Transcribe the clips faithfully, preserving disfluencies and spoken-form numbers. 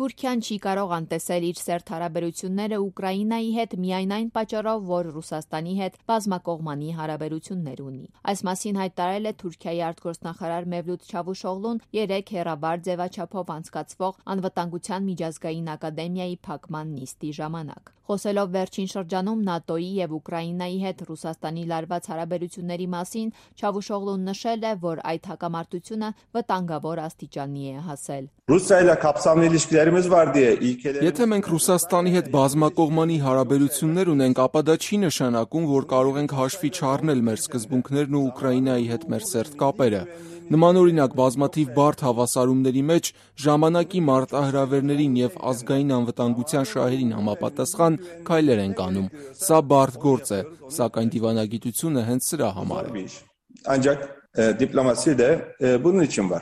Թուրքիան չի կարող անտեսել իր սերտ հարաբերությունները Ուկրաինայի հետ միայն այն պատճառով, որ Ռուսաստանի հետ բազմակողմանի հարաբերություններ ունի։ Այս մասին հայտարարել է Թուրքիայի արտգործնախարար Մևլութ Չավուշօղլուն երեկ հեռավար ձևաչափով անցկացվող Անվտանգության միջազգային ակադեմիայի փակման նիստի ժամանակ։ Խոսելով վերջին շրջանում ՆԱՏՕ-ի եւ Ուկրաինայի հետ Ռուսաստանի լարված հարաբերությունների մասին, Չավուշօղլուն նշել է, որ այդ հակամարտությունը վտանգավոր աստիճանի է հասել։ Եթե մենք Ռուսաստանի հետ բազմակողմանի հարաբերություններ ունենք, ապա դա չի նշանակում, որ կարող ենք հաշվի չառնել մեր սկզբունքներն ու Ուկրաինայի հետ մեր սերտ կապերը։ Նմանօրինակ բազմաթիվ բարդ հավասարումների մեջ ժամանակի մարտահրավերներին եւ ազգային անվտանգության շահերին համապատասխան քայլեր ենք անում։ Սա բարդ գործ է, սակայն դիվանագիտությունը հենց սրա համար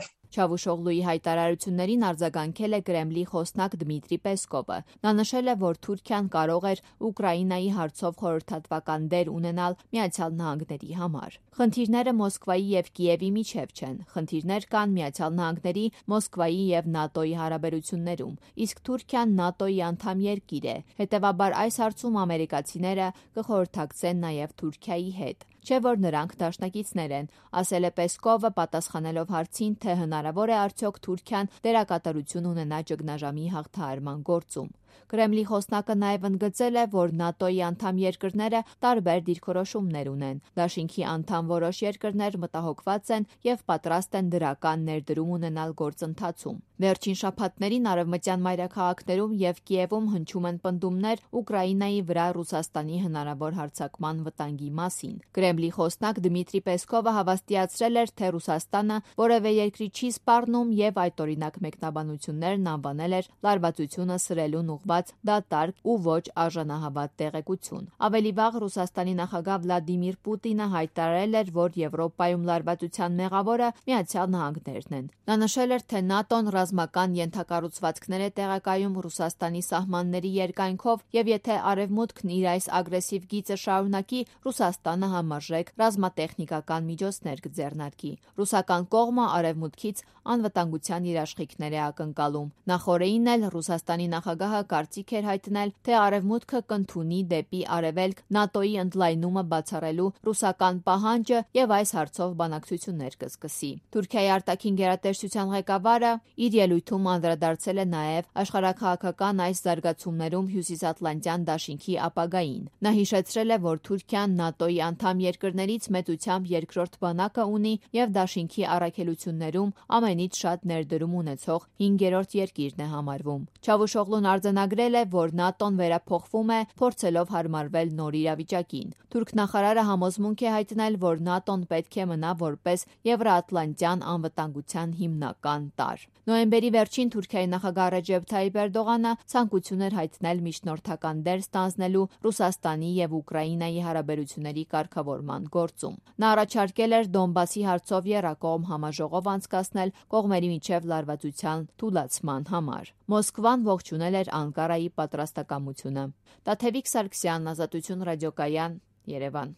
է։ Չավուշօղլուի հայտարարություններին արձագանքել է Կրեմլի խոսնակ Դմիտրի Պեսկովը։ Նա նշել է, որ Թուրքիան կարող էր Ուկրաինայի հարցով խորհրդատվական դեր ունենալ Միացյալ Նահանգների համար։ Խնդիրները Մոսկվայի եւ Կիևի միջև չեն։ Խնդիրներ կան Միացյալ Նահանգների, Մոսկվայի եւ ՆԱՏՕ-ի հարաբերություններում, իսկ Թուրքիան ՆԱՏՕ-ի անդամ երկիր է։ Հետևաբար այս հարցում ամերիկացիները կխորհրդակցեն նաեւ Թուրքիայի հետ։ Չէ՞ որ նրանք դաշնակիցներ են, ասել է Պեսկովը, պատասխանելով հարցին, թե հնարավոր է արդյոք Թուրքիան դերակատարություն ունենա ճգնաժամի հաղթահարման գործում։ Կրեմլի խոսնակը նաև ընդգծել է, որ ՆԱՏՕ-ի անդամ երկրները տարբեր դիրքորոշումներ ունեն։ Դաշինքի անդամ որոշ երկրներ մտահոգված են եւ պատրաստ են դրական ներդրում ունենալ գործընթացում։ Վերջին շաբաթներին արևմտյան մայրաքաղաքներում եւ Կիևում հնչում են պնդումներ Ուկրաինայի վրա Ռուսաստանի հնարավոր հարձակման վտանգի մասին։ Կրեմլի խոսնակ Դմիտրի Պեսկովը հավաստիացրել էր, թե Ռուսաստանը որևէ երկրի չի սպառնում եւ այդ օրինակ մեկնաբանություններն անվանել էր լարվածությունը սրելուն ուղղված դատարկ ու ոչ արժանահավատ տեղեկություն։ Ավելի վաղ Ռուսաստանի նախագահ Վլադիմիր Պուտինը հայտարարել էր, որ Եվրոպայում լարվածության մեղավորը Միացյալ Նահանգներն են։ Նա նշել էր, թե ՆԱՏՕ-ն ռազմական ենթակառուցվածքներ է տեղակայում Ռուսաստանի սահմանների երկայնքով եւ եթե Արևմուտքն իր այս ագրեսիվ գիծը շարունակի, Ռուսաստանը համարժեք ռազմատեխնիկական միջոցներ կձեռնարկի։ Ռուսական կողմը Արևմուտքից անվտանգության երաշխիքներ է ակնկալում։ Նախորդին էլ Ռուսաստանի նախագահը կարծիք էր հայտնել, թե Արևմուտքը կընդունի դեպի Արևելք ՆԱՏՕ-ի ընդլայնումը բացառելու ռուսական պահանջը եւ այս հարցով բանակցություններ կսկսի։ Թուրքիայի արտաքին գերատեսչության ղեկավարը իր ելույթում անդրադարձել է նաեւ աշխարհաքաղաքական այս զարգացումներում Հյուսիսատլանտյան դաշինքի ապագային։ Նա հիշեցրել է, որ Թուրքիան ՆԱՏՕ-ի անդամ երկրներից մեծությամբ երկրորդ բանակը ունի եւ դաշինքի առաքելություններում ամենից շատ ներդրում ունեցող հինգերորդ երկիրն է համարվում։ Չավուշօղլուն արձանագրել է, որ ՆԱՏՕ-ն վերափոխվում է, փորձելով հարմարվել նոր իրավիճակին։ Թուրք նախարարը համոզմունք է հայտնել, որ ՆԱՏՕ-ն պետք է մնա որպես Եվրոատլանտյան անվտանգության հիմնական տարր։ Նոյեմբերի վերջին Թուրքիայի նախագահ Ռեջեփ Թայիփ Էրդողանը ցանկություն էր հայտնել միջնորդական դեր ստանձնելու Ռուսաստանի եւ Ուկրաինայի հարաբերությունների կարգավորման գործում։ Նա առաջարկել էր Դոնբասի հարցով եռակողմ համաժողով անցկացնել կողմերի միջև լարվածության թուլացման համար։ Մոսկվան ողջունել էր Անկարայի պատրաստակամությունը։ Տաթևիկ Սարգսյան, Ազատություն ռադիոկայան, Երևան։